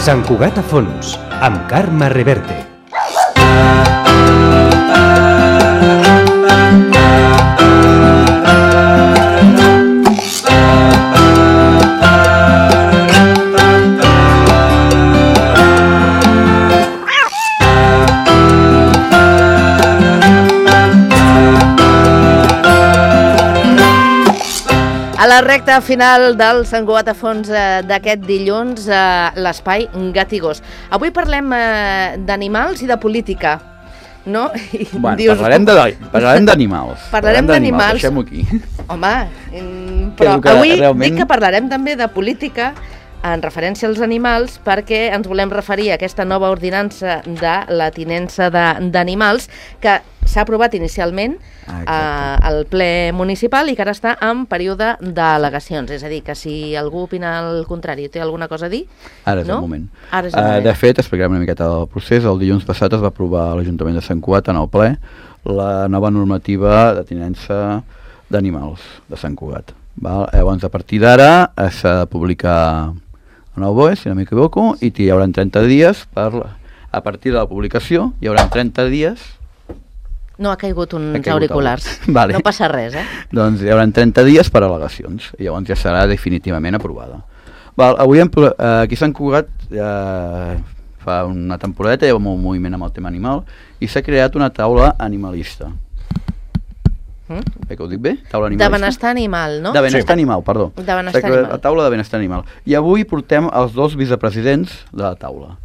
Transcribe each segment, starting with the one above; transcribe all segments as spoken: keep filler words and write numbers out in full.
Sant Cugat a fons, amb Carme Reverte. A la recta final del Sant Cugat a fons eh, d'aquest dilluns, eh, l'espai Gat i Gos. Avui parlem eh, d'animals i de política, no? I bueno, dius... parlarem de, parlarem d'animals. Parlarem d'animals. Deixem-ho aquí. Home, però que avui realment... dic que parlarem també de política en referència als animals, perquè ens volem referir a aquesta nova ordinança de la tinença d'animals que s'ha aprovat inicialment ah, al ple municipal i que ara està en període d'al·legacions. És a dir, que si algú opina el contrari té alguna cosa a dir... Ara és no? el moment. Ara és el moment. Uh, de fet, explicarem una miqueta del procés. El dilluns passat es va aprovar a l'Ajuntament de Sant Cugat en el ple la nova normativa de tinença d'animals de Sant Cugat. Val? Llavors, a partir d'ara s'ha de publicar en el B O E, si no m'equivoco, i hi haurà trenta dies per... A partir de la publicació hi haurà trenta dies... No ha caigut uns ha caigut auriculars. Vale. No passa res, eh? Doncs hi haurà trenta dies per al·legacions i llavors ja serà definitivament aprovada. Val, avui hem, eh, aquí a Sant Cugat eh, fa una temporadeta hi ha un moviment amb el tema animal i s'ha creat una taula animalista. Mm? Bé, que ho dic bé? Taula animalista. De benestar animal, no? De benestar sí. animal, perdó. De benestar animal. La taula de benestar animal. I avui portem els dos vicepresidents de la taula.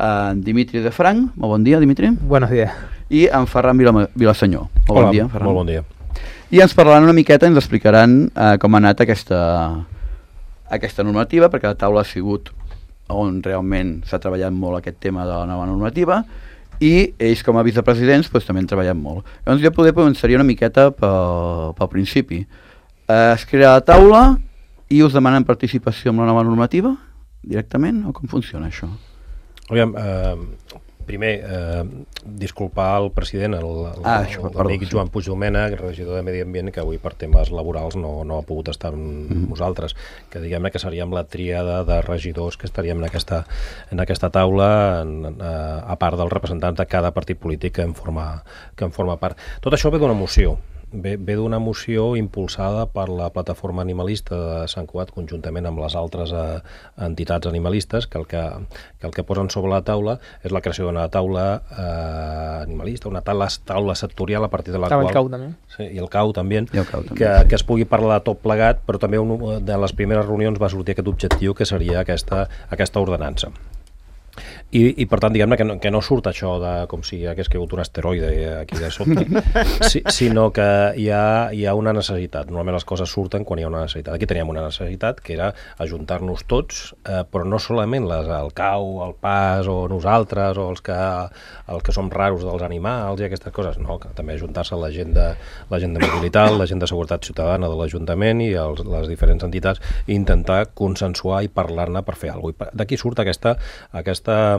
En Dimitri de Franc, molt bon dia, Dimitri. Buenos días. I en Ferran Vila, Vilasenyor. Molt Hola, bon dia, Ferran. Molt bon dia. I ens parlaran una miqueta i ens explicaran eh, com ha anat aquesta, aquesta normativa, perquè la taula ha sigut on realment s'ha treballat molt aquest tema de la nova normativa i ells com a vicepresidents doncs, també han treballat molt. Llavors jo poder començaria una miqueta pel, pel principi. Eh, es crea la taula i us demanen participació en la nova normativa directament o com funciona això? Aviam, eh, primer, eh, disculpar el president, l'amic ah, Joan Puig Domènech, regidor de Medi Ambient, que avui per temes laborals no, no ha pogut estar amb mm-hmm. nosaltres, que diguem-ne que seríem la tríada de regidors que estaríem en aquesta, en aquesta taula, en, eh, a part dels representants de cada partit polític que en forma, que en forma part. Tot això ve d'una moció. Ve, ve d'una moció impulsada per la plataforma animalista de Sant Cugat conjuntament amb les altres eh, entitats animalistes que el que, que el que posen sobre la taula és la creació d'una taula eh, animalista, una taula, taula sectorial a partir de la Estava qual... el C A U també. Sí, i el C A U també, I el C A U també que, sí. que es pugui parlar de tot plegat, però també un, de les primeres reunions va sortir aquest objectiu que seria aquesta, aquesta ordenança. I, i per tant, diguem-ne que, no, que no surt això de com si hagués caigut un asteroide aquí de sobte, si, sinó que hi ha, hi ha una necessitat. Normalment les coses surten quan hi ha una necessitat. Aquí teníem una necessitat que era ajuntar-nos tots, eh, però no solament les, el C A U, el P A S o nosaltres o els que, els que som raros dels animals i aquestes coses, no, que també ajuntar-se la gent de, la gent de mobilitat, la gent de seguretat ciutadana de l'Ajuntament i els, les diferents entitats i intentar consensuar i parlar-ne per fer alguna cosa. D'aquí surt aquesta, aquesta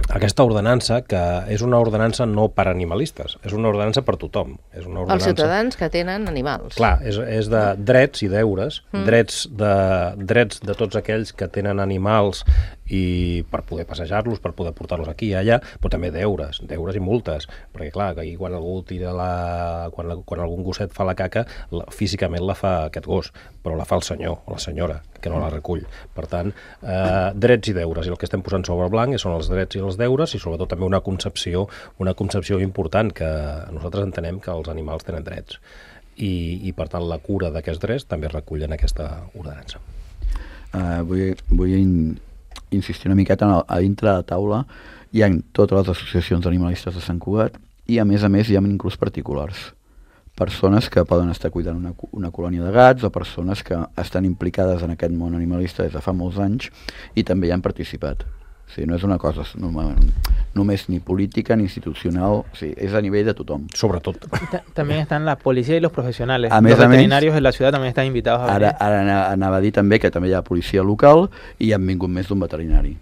aquesta ordenança, que és una ordenança no per animalistes, és una ordenança per tothom. És una ordenança... Els ciutadans que tenen animals. Clar, és, és de drets i deures, mm. drets, de, drets de tots aquells que tenen animals i per poder passejar-los, per poder portar-los aquí i allà, però també deures, deures i multes, perquè clar, que quan algú tira la... quan, quan algun gosset fa la caca, la, físicament la fa aquest gos, però la fa el senyor o la senyora, que no la recull. Per tant, eh, drets i deures, i el que estem posant sobre el blanc són els drets i els deures, i sobretot també una concepció, una concepció important, que nosaltres entenem que els animals tenen drets. I, i per tant, la cura d'aquests drets també es recull en aquesta ordenança. Uh, vull vull in, insistir una miqueta en el, a dintre de la taula hi ha totes les associacions animalistes de Sant Cugat i a més a més hi ha inclús particulars. Persones que poden estar cuidant una, una colònia de gats o persones que estan implicades en aquest món animalista des de fa molts anys i també hi han participat. O sigui, no és una cosa només, només ni política ni institucional, o sigui, és a nivell de tothom. Sobretot. También están la policía y los profesionales. A més, los veterinarios més, de la ciudad también están invitados a venir. Ara, ara anava a dir també que també hi ha policia local i hi han vingut més d'un veterinari.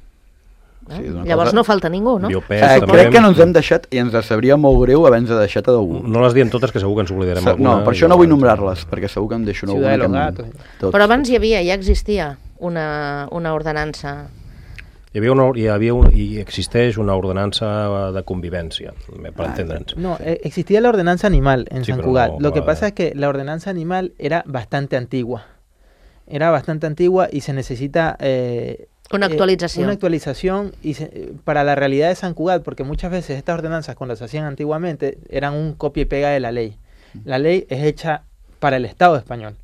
Eh? Sí, llavors cosa... no falta ningú, no? Biopes, eh, crec que no ens hem deixat, i ens sabria molt greu haver-nos deixat a d'algú. No les diem totes, que segur que ens oblidarem Sa alguna. No, per això no vull nombrar-les, perquè segur que em deixo una Ciudad de los Gatos. Però abans hi havia, ja existia una, una ordenança Hi havia una, hi havia un, i existeix una ordenanza de convivència, per Ah, entendre'ns. No, eh, existía la ordenanza animal en Sí, San pero Cugat. no, Lo que no, pasa eh. es que la ordenanza animal era bastante antigua. Era bastante antigua y se necesita eh, Una eh, actualización. una actualización y se- eh, para la realidad de San Cugat, porque muchas veces estas ordenanzas cuando se hacían antiguamente eran un copia y pega de la ley. La ley es hecha para el Estado español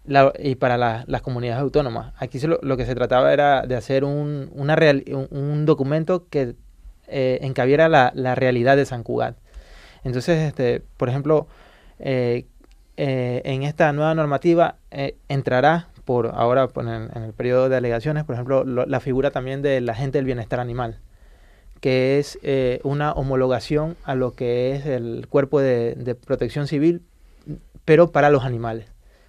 la- y para la- las comunidades autónomas. Aquí se lo, lo que se trataba era de hacer un, una real- un, un documento que eh, encabiera la, la realidad de San Cugat. Entonces, este, por ejemplo, eh, eh, en esta nueva normativa eh, entrará por ahora por en, en el periodo de alegaciones, por ejemplo, lo- la figura también del agente del bienestar animal, que es eh, una homologación a lo que es el cuerpo de, de protección civil, pero para los animales.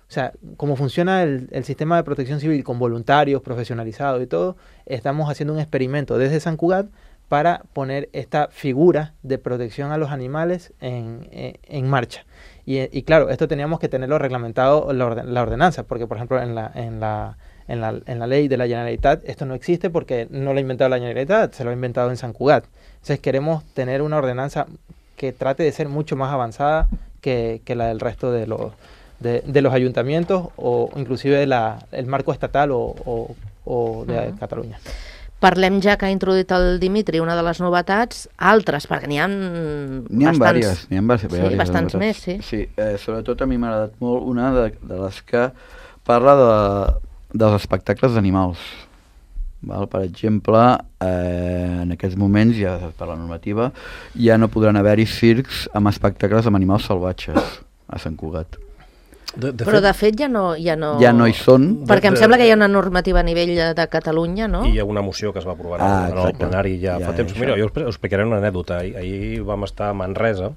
O sea, como funciona el, el sistema de protección civil con voluntarios, profesionalizados y todo, estamos haciendo un experimento desde San Cugat para poner esta figura de protección a los animales en, en, en marcha. Y, y claro, esto teníamos que tenerlo reglamentado la, orden, la ordenanza, porque por ejemplo en la, en, la, en, la, en la ley de la Generalitat esto no existe porque no lo ha inventado la Generalitat, se lo ha inventado en San Cugat. Entonces queremos tener una ordenanza que trate de ser mucho más avanzada que, que la del resto de los, de, de los ayuntamientos o inclusive la, el marco estatal o, o, o de Uh-huh. Catalunya. Parlem, ja que ha introduït el Dimitri, una de les novetats, altres, perquè n'hi ha N'hi ha bastants. diverses, n'hi ha bas- Sí, diverses bastants novetats. més, sí. Sí, eh, sobretot a mi m'ha agradat molt una de, de les que parla de, dels espectacles d'animals. Val? Per exemple, eh, en aquests moments, ja per la normativa, ja no podran haver-hi circs amb espectacles amb animals salvatges a Sant Cugat. De, de Però de fet ja no... Ja no, Ja no hi són. Perquè em de- sembla que hi ha una normativa a nivell de, de Catalunya, no? I hi ha una moció que es va aprovar Ah, en el exacte. plenari ja, Ja, fa temps. això. Mira, jo us us explicaré una anècdota. Ahir, ahir vam estar a Manresa,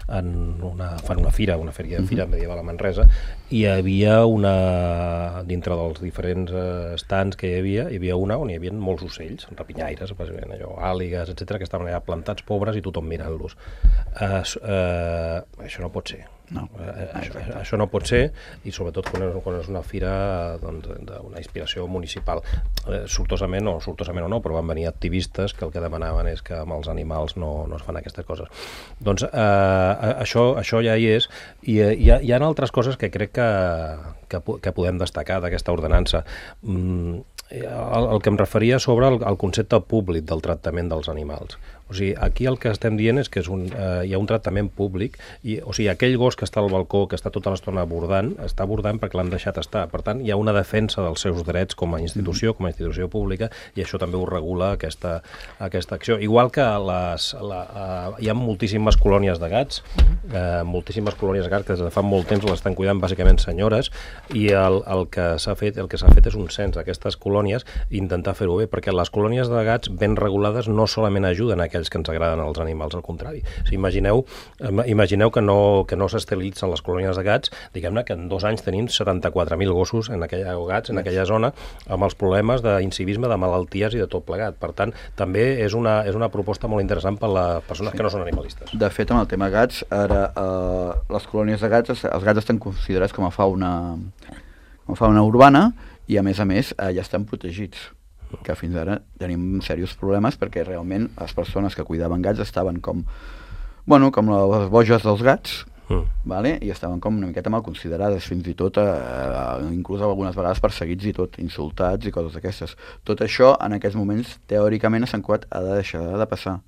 en una, fan una fira, una fèria de fira medieval a Manresa, i hi havia una, dintre dels diferents eh, stands que hi havia, hi havia una on hi havia molts ocells, rapinyaires, bàsicament, allò, àligues, etcètera, que estaven allà plantats pobres i tothom mirant-los. Eh, s- eh, això no pot ser. No. Eh, això, això no pot ser, i sobretot quan és, quan és una fira doncs, d'una inspiració municipal. Eh, sortosament, o sortosament o no, però van venir activistes que el que demanaven és que amb els animals no, no es fan aquestes coses. Doncs eh, això, això ja hi és, i eh, hi, ha, hi ha altres coses que crec que, que, po- que podem destacar d'aquesta ordenança. Mm, el, el que em referia sobre el, el concepte públic del tractament dels animals. O sigui, aquí el que estem dient és que és un, eh, hi ha un tractament públic, i, o sigui, aquell gos que està al balcó, que està tota l'estona abordant, està abordant perquè l'han deixat estar. Per tant, hi ha una defensa dels seus drets com a institució, com a institució pública, i això també ho regula aquesta, aquesta acció. Igual que les, la, eh, hi ha moltíssimes colònies de gats, eh, moltíssimes colònies de gats que des de fa molt temps l'estan cuidant bàsicament senyores, i el, el que s'ha fet, el que s'ha fet és un cens d'aquestes colònies i intentar fer-ho bé, perquè les colònies de gats ben regulades no solament ajuden a aquells que ens agraden els animals, al contrari. Si imagineu, imagineu que no, que no s'esterilitzen les colònies de gats, diguem-ne que en dos anys tenim setanta-quatre mil gossos en aquella, o gats en aquella zona amb els problemes d'incivisme, de malalties i de tot plegat. Per tant, també és una, és una proposta molt interessant per a les persones sí. que no són animalistes. De fet, amb el tema gats, ara eh, les colònies de gats, els gats estan considerats com a fauna, com a fauna urbana i, a més a més, eh, ja estan protegits, que fins ara tenim serios problemes perquè realment les persones que cuidaven gats estaven com, bueno, com les boges dels gats, mm. vale? I estaven com una miqueta mal considerades, fins i tot, eh, inclús algunes vegades perseguits i tot, insultats i coses d'aquestes. Tot això, en aquests moments, teòricament, a Sant Cugat ha de deixar de passar.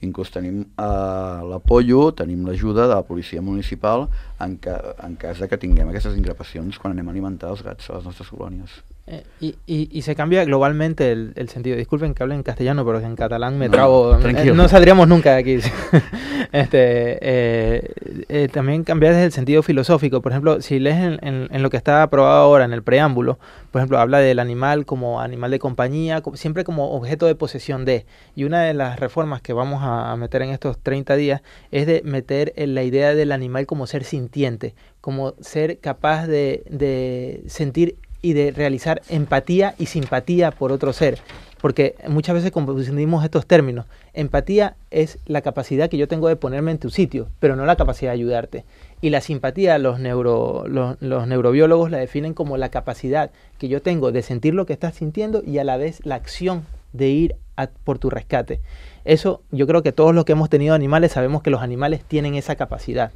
Inclús tenim eh, l'apollo, tenim l'ajuda de la policia municipal en, ca, en cas de que tinguem aquestes increpacions quan anem a alimentar els gats a les nostres colònies. Eh, y, y, y se cambia globalmente el, el sentido. Disculpen que hable en castellano, pero en catalán me No, trabo. tranquilo. Eh, no saldríamos nunca de aquí. este, eh, eh, también cambia desde el sentido filosófico. Por ejemplo, si lees en, en, en lo que está aprobado ahora, en el preámbulo, por ejemplo, habla del animal como animal de compañía, como, siempre como objeto de posesión de. Y una de las reformas que vamos a, a meter en estos treinta días es de meter en la idea del animal como ser sintiente, como ser capaz de, de sentir y de realizar empatía y simpatía por otro ser, porque muchas veces confundimos estos términos. Empatía es la capacidad que yo tengo de ponerme en tu sitio, pero no la capacidad de ayudarte. Y la simpatía, los, neuro, los, los neurobiólogos la definen como la capacidad que yo tengo de sentir lo que estás sintiendo y a la vez la acción de ir a por tu rescate. Eso, yo creo que todos los que hemos tenido animales sabemos que los animales tienen esa capacidad.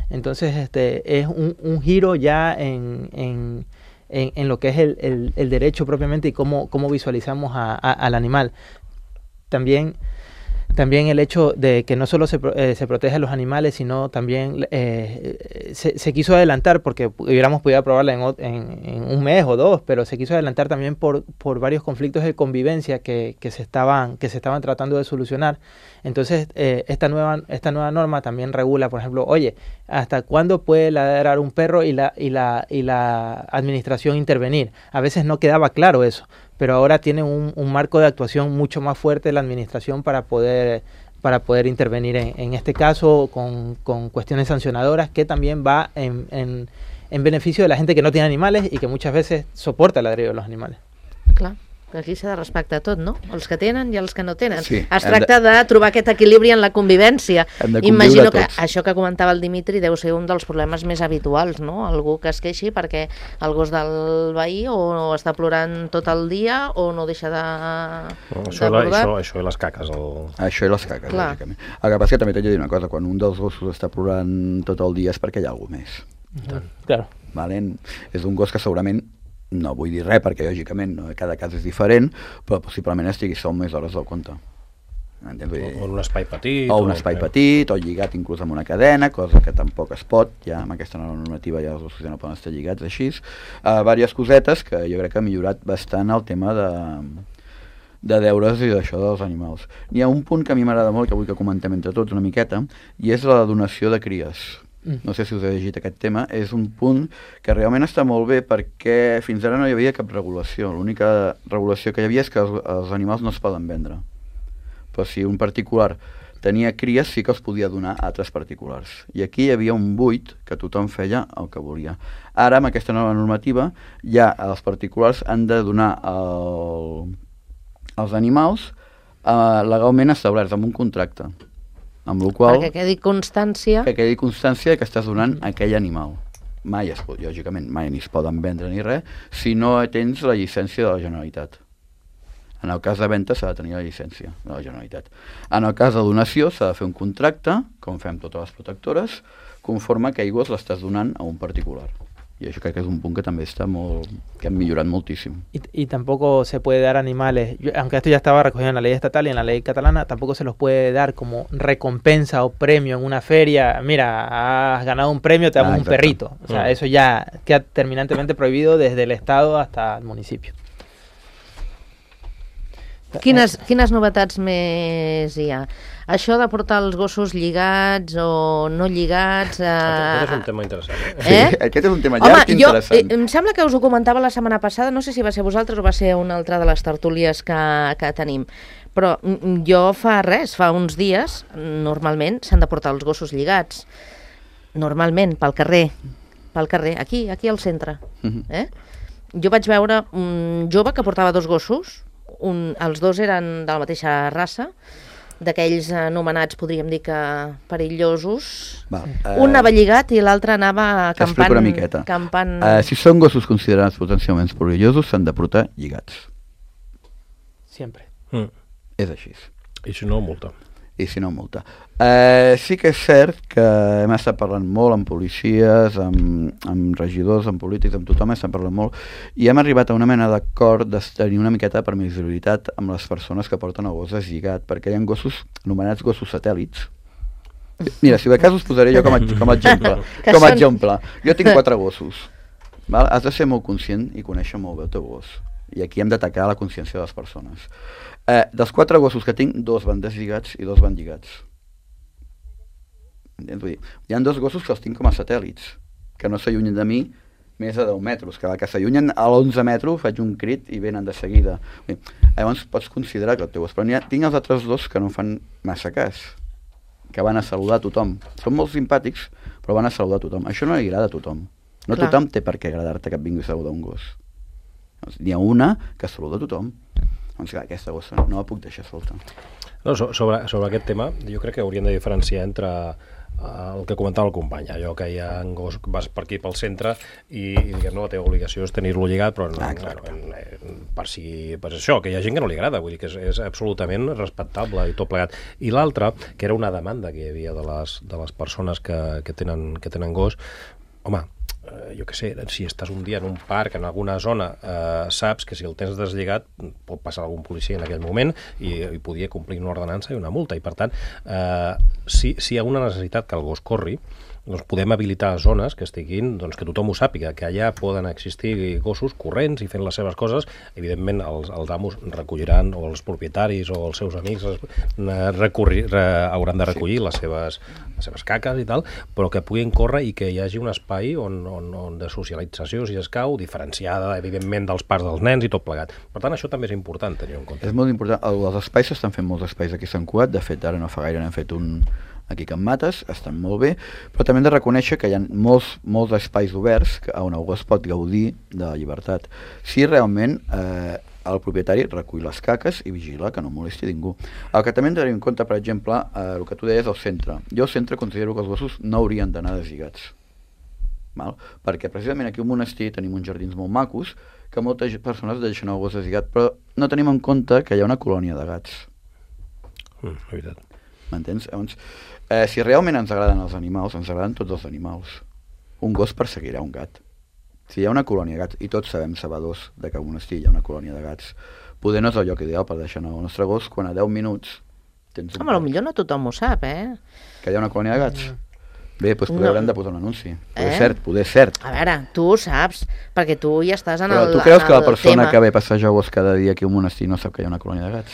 Entonces, este es un, un giro ya en, en, en, en lo que es el, el, el derecho propiamente y cómo, cómo visualizamos a, a, al animal. También, también el hecho de que no solo se, eh, se protege a los animales, sino también eh, se, se quiso adelantar, porque hubiéramos podido aprobarla en, en, en un mes o dos, pero se quiso adelantar también por, por varios conflictos de convivencia que, que, se estaban, que se estaban tratando de solucionar. Entonces, eh, esta, nueva, esta nueva norma también regula, por ejemplo, oye, ¿hasta cuándo puede ladrar un perro y la, y la, y la administración intervenir? A veces no quedaba claro eso, pero ahora tiene un, un marco de actuación mucho más fuerte de la administración para poder, para poder intervenir en, en este caso con, con cuestiones sancionadoras, que también va en, en, en beneficio de la gente que no tiene animales y que muchas veces soporta el ladrido de los animales. Clar, que aquí s'ha de respectar tot, no? Els que tenen i els que no tenen. Sí, es tracta de... de trobar aquest equilibri en la convivència. Imagino que tots. això que comentava el Dimitri deu ser un dels problemes més habituals, no? Algú que es queixi perquè el gos del veí o està plorant tot el dia o no deixa de, No, de això, la, bordar. això, això i les caques. El... Això i les caques, Clar. lògicament. El que passa que també t'he de dir una cosa, quan un dels gossos està plorant tot el dia és perquè hi ha alguna més. Uh-huh. Claro. Vale? És un gos que segurament, no vull dir res perquè lògicament no, cada cas és diferent, però possiblement estigui sol més hores del compte. Entens? Vull dir, O en un espai petit. o un espai petit, o lligat inclús amb una cadena, cosa que tampoc es pot, ja amb aquesta nova normativa ja els gossos ja no poden estar lligats així. Uh, diverses cosetes que jo crec que ha millorat bastant el tema de, de deures i d'això dels animals. N'hi ha un punt que a mi m'agrada molt, que vull que comentem entre tots una miqueta, i és la donació de cries. No sé si us he llegit aquest tema, és un punt que realment està molt bé perquè fins ara no hi havia cap regulació. L'única regulació que hi havia és que els, els animals no es poden vendre. Però si un particular tenia cries sí que els podia donar a altres particulars. I aquí hi havia un buit que tothom feia el que volia. Ara, amb aquesta nova normativa, ja els particulars han de donar el, els animals eh, legalment establerts amb un contracte. Amb la qual Perquè quedi constància. que quedi constància que estàs donant a aquell animal. Mai es pot, lògicament, mai ni es poden vendre ni res, si no tens la llicència de la Generalitat. En el cas de venda s'ha de tenir la llicència de la Generalitat. En el cas de donació s'ha de fer un contracte, com fem totes les protectores, conforme que aigües l'estàs donant a un particular. Y això crec que és un punt que també està molt, que han millorat moltísimo. Y, y tampoco se puede dar animales, yo, aunque esto ya estaba recogido en la ley estatal y en la ley catalana, tampoco se los puede dar como recompensa o premio en una feria. Mira, has ganado un premio, te damos Ah, un exacto. perrito. O sea, Mm. eso ya queda terminantemente prohibido desde el Estado hasta el municipio. Quines, quines novetats més hi ha? Això de portar els gossos lligats o no lligats... Eh... Aquest és un tema interessant. Eh? Sí, Eh? aquest és un tema Home, llarg i jo, interessant. eh, em sembla que us ho comentava la setmana passada, no sé si va ser vosaltres o va ser una altra de les tertúlies que, que tenim, però mm, jo fa res, fa uns dies, normalment s'han de portar els gossos lligats, normalment, pel carrer, pel carrer, aquí, aquí al centre. Mhm. Eh? Jo vaig veure un jove que portava dos gossos, un, els dos eren de la mateixa raça, d'aquells anomenats, podríem dir que perillosos. Val, Un anava lligat i l'altre anava T'explico campant... una miqueta. campant... Eh, si són gossos considerats potencialment perillosos, s'han de portar lligats. Siempre. Mm. És així. I si no, multa. I si no, multa. Eh, sí que és cert que hem estat parlant molt amb policies, amb, amb regidors, amb polítics, amb tothom, estem parlant molt, i hem arribat a una mena d'acord de tenir una miqueta de permissibilitat amb les persones que porten el gos deslligat, perquè hi ha gossos anomenats gossos satèl·lits. Mira, si de cas us posaré jo com a, com a exemple. Que Com a són- exemple. Jo tinc quatre gossos. Val? Has de ser molt conscient i conèixer molt bé el teu gos. I aquí hem d'atacar la consciència de les persones. Eh, dels quatre gossos que tinc, dos van deslligats i dos van lligats. Entens? Vull dir, hi ha dos gossos que els tinc com a satèl·lits, que no s'allunyen de mi més de deu metres, que que s'allunyen a l'onze metres faig un crit i venen de seguida. Vull dir, llavors pots considerar que el teu gos, però ha, tinc els altres dos que no em fan massa cas, que van a saludar a tothom. Són molt simpàtics, però van a saludar a tothom. Això no li agrada a tothom. No Clar. tothom té per què agradar-te que et vingui a saludar un gos. Doncs n'hi ha una que saluda a tothom. Doncs clar, aquesta gossa no la puc deixar solta. No, so, sobre, sobre aquest tema, jo crec que hauríem de diferenciar entre el que comentava el company, allò que hi ha en gos, vas per aquí pel centre i, i diguem, no, la teva obligació és tenir-lo lligat, però no, ah, bueno, en, en, per, si, per això, que hi ha gent que no li agrada, vull dir que és, és absolutament respectable i tot plegat. I l'altre, que era una demanda que hi havia de les, de les persones que, que, tenen, que tenen gos, home, eh, jo què sé, si estàs un dia en un parc, en alguna zona, eh, saps que si el tens deslligat pot passar algun policia en aquell moment i, i podia complir una ordenança i una multa. I per tant, eh, si, si hi ha una necessitat que el gos corri, doncs podem habilitar zones que estiguin, doncs que tothom ho sàpiga, que allà poden existir gossos corrents i fent les seves coses. Evidentment, els, els amos recolliran, o els propietaris o els seus amics recorri, re, hauran de recollir les seves, les seves caques i tal, però que puguin córrer i que hi hagi un espai on, on, on de socialització, si escau, diferenciada, evidentment, dels parcs dels nens i tot plegat. Per tant, això també és important tenir en compte. És molt important. Els espais s'estan fent molts espais aquí a Sant Cugat. De fet, ara no fa gaire n'hem fet un aquí a Can Mates, estan molt bé, però també hem de reconèixer que hi ha molts, molts espais oberts on algú es pot gaudir de la llibertat. Si realment eh, el propietari recull les caques i vigila que no molesti ningú. El que també hem de tenir en compte, per exemple, eh, el que tu deies al centre. Jo al centre considero que els gossos no haurien d'anar deslligats. Val? Perquè precisament aquí al monestir tenim uns jardins molt macos que moltes persones deixen el gos deslligat, però no tenim en compte que hi ha una colònia de gats. Mm, la veritat. M'entens? Llavors, eh, si realment ens agraden els animals, ens agraden tots els animals. Un gos perseguirà un gat. Si hi ha una colònia de gats, i tots sabem sabedors de que a Monestir hi ha una colònia de gats, poder no és el lloc ideal per deixar anar el nostre gos quan a deu minuts tens un... Home, potser no tothom ho sap, eh? Que hi ha una colònia de gats? Mm. Bé, doncs poder No. haurem de posar un anunci. Poder Eh? cert, poder cert. A veure, tu ho saps, perquè tu ja estàs en Però el, tu creus en que la el persona tema. que ve a passejar gos cada dia aquí a un monestir no sap que hi ha una colònia de gats?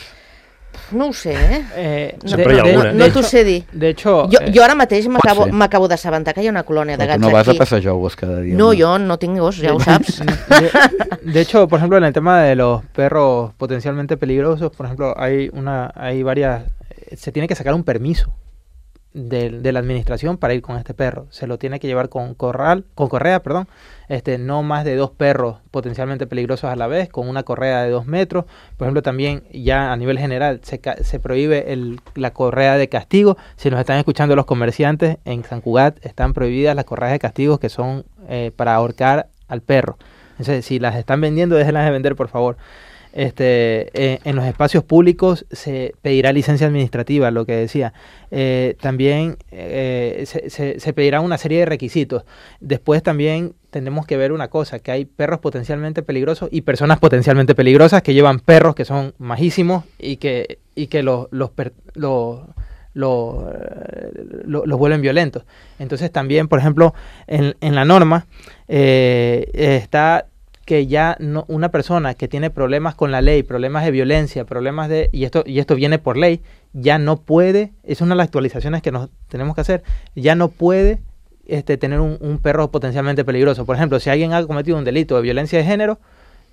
No ho sé, eh? Eh, No, Sempre hi ha no, alguna. no, no t'ho sé dir. De hecho, Jo, eh, jo ara mateix m'acabo ser. m'acabo d'assabentar que hi ha una colònia de Però gats tu no vas aquí. a passejar gos cada dia. No, jo no tinc gos, ja ho saps. De, de hecho, por ejemplo, en el tema de los perros potencialmente peligrosos, por ejemplo, hay una, hay varias, se tiene que sacar un permiso de, de la administración para ir con este perro. Se lo tiene que llevar con corral, con correa, perdón, este, no más de dos perros potencialmente peligrosos a la vez, con una correa de dos metros. Por ejemplo, también ya a nivel general se, ca- se prohíbe el, la correa de castigo. Si nos están escuchando los comerciantes, en San Cugat están prohibidas las correas de castigo que son eh, para ahorcar al perro. Entonces, si las están vendiendo, déjenlas de vender, por favor. Este, eh, en los espacios públicos se pedirá licencia administrativa, lo que decía. Eh, también eh, se, se, se pedirá una serie de requisitos. Después también tenemos que ver una cosa, que hay perros potencialmente peligrosos y personas potencialmente peligrosas que llevan perros que son majísimos y que, y que los, los, per- los, los, eh, lo- los vuelven violentos. Entonces también, por ejemplo, en, en la norma eh, está que ya no, una persona que tiene problemas con la ley, problemas de violencia, problemas de, y esto, y esto viene por ley, ya no puede, es una de las actualizaciones que nos tenemos que hacer, ya no puede este, tener un, un perro potencialmente peligroso. Por ejemplo, si alguien ha cometido un delito de violencia de género,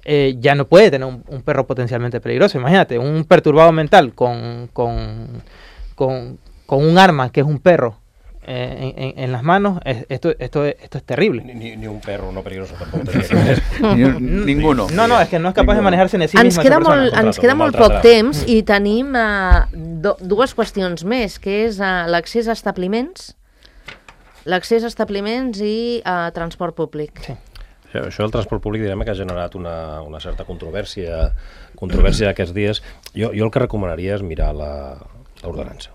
eh, ya no puede tener un, un perro potencialmente peligroso. Imagínate, un perturbado mental con, con, con, con un arma que es un perro eh, en, en, en las manos, es, esto, esto, es, esto es terrible. Ni, ni un perro no peligroso tampoc tenia que ver. Ni, ninguno. No, no, es que no es capaz de Ninguno. manejarse en sí Ens misma queda, esa persona. molt, ens Contrato, queda un molt altre poc drama. temps i tenim uh, do, dues qüestions més, que és uh, l'accés a establiments, l'accés a establiments i uh, transport públic. Sí. Això, això del transport públic direm que ha generat una, una certa controvèrsia controvèrsia aquests dies. Jo, jo el que recomanaria és mirar la- l'ordenança.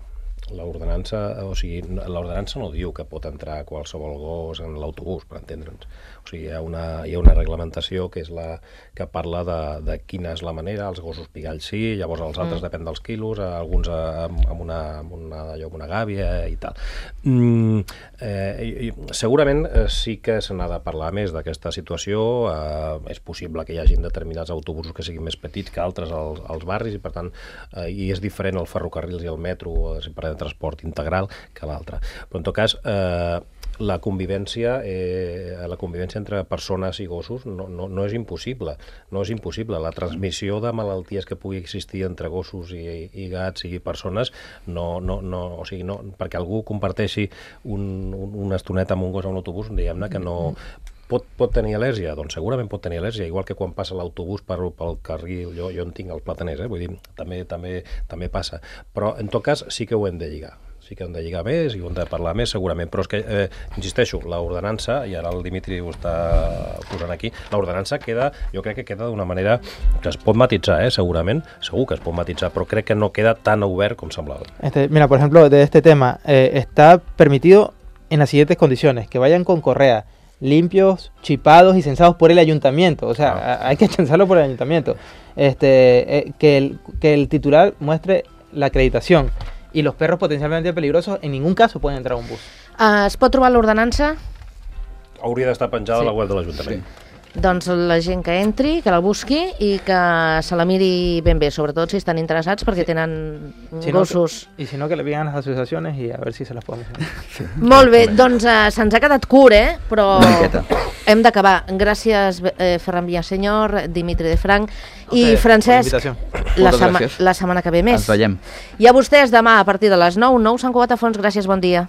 L'ordenança, o sigui, l'ordenança no diu que pot entrar qualsevol gos en l'autobús, per entendre'ns. O sigui, hi ha una, hi ha una reglamentació que és la que parla de, de quina és la manera, els gossos pigalls sí, llavors els altres mm. depèn dels quilos, alguns amb, amb, una, amb, una, allò, amb una gàbia i tal. Mm, eh, i, i, segurament eh, sí que se n'ha de parlar més d'aquesta situació, eh, és possible que hi hagin determinats autobusos que siguin més petits que altres als, als barris i per tant, eh, i és diferent el ferrocarrils i el metro, si parlem de transport integral, que l'altre. Però en tot cas, eh, la convivència, eh, la convivència entre persones i gossos no, no, no és impossible, no és impossible. La transmissió de malalties que pugui existir entre gossos i, i gats i persones, no, no, no, o sigui, no, perquè algú comparteixi un, un, una estoneta amb un gos a un autobús, diguem-ne que no... Pot, pot tenir al·lèrgia? Doncs segurament pot tenir al·lèrgia, igual que quan passa l'autobús per, pel carril, jo, jo en tinc els plataners, eh? Vull dir, també, també, també passa. Però en tot cas sí que ho hem de lligar. sí que hem de lligar més i hem de parlar més segurament, però és que, eh, insisteixo, l'ordenança, i ara el Dimitri ho està posant aquí, l'ordenança queda, jo crec que queda d'una manera que es pot matitzar, eh, segurament, segur que es pot matitzar, però crec que no queda tan obert com semblava. Este, mira, por ejemplo, de este tema, eh, está permitido en las siguientes condiciones, que vayan con correa, limpios, chipados y censados por el ayuntamiento, o sea, ah. hay que censarlo por el ayuntamiento, este, eh, que, el, que el titular muestre la acreditación, y los perros potencialmente peligrosos en ningún caso pueden entrar a un bus. Uh, es pot trobar l'ordenança? Hauria d'estar penjada sí. a la web de l'Ajuntament. Sí. Doncs la gent que entri, que la busqui i que se la miri ben bé, sobretot si estan interessats perquè sí. tenen si gossos. No, I si no, que le peguen a les associacions i a veure si se les podem fer. Sí. Molt bé, doncs uh, se'ns ha quedat curt, eh? Però hem d'acabar. Gràcies, eh, Ferran Villasenyor, Dimitri de Franc i okay, Francesc. La, sema la setmana que ve més. Ens veiem. I a vostès demà a partir de les nou, nou Sant Cugat a Fons. Gràcies, bon dia.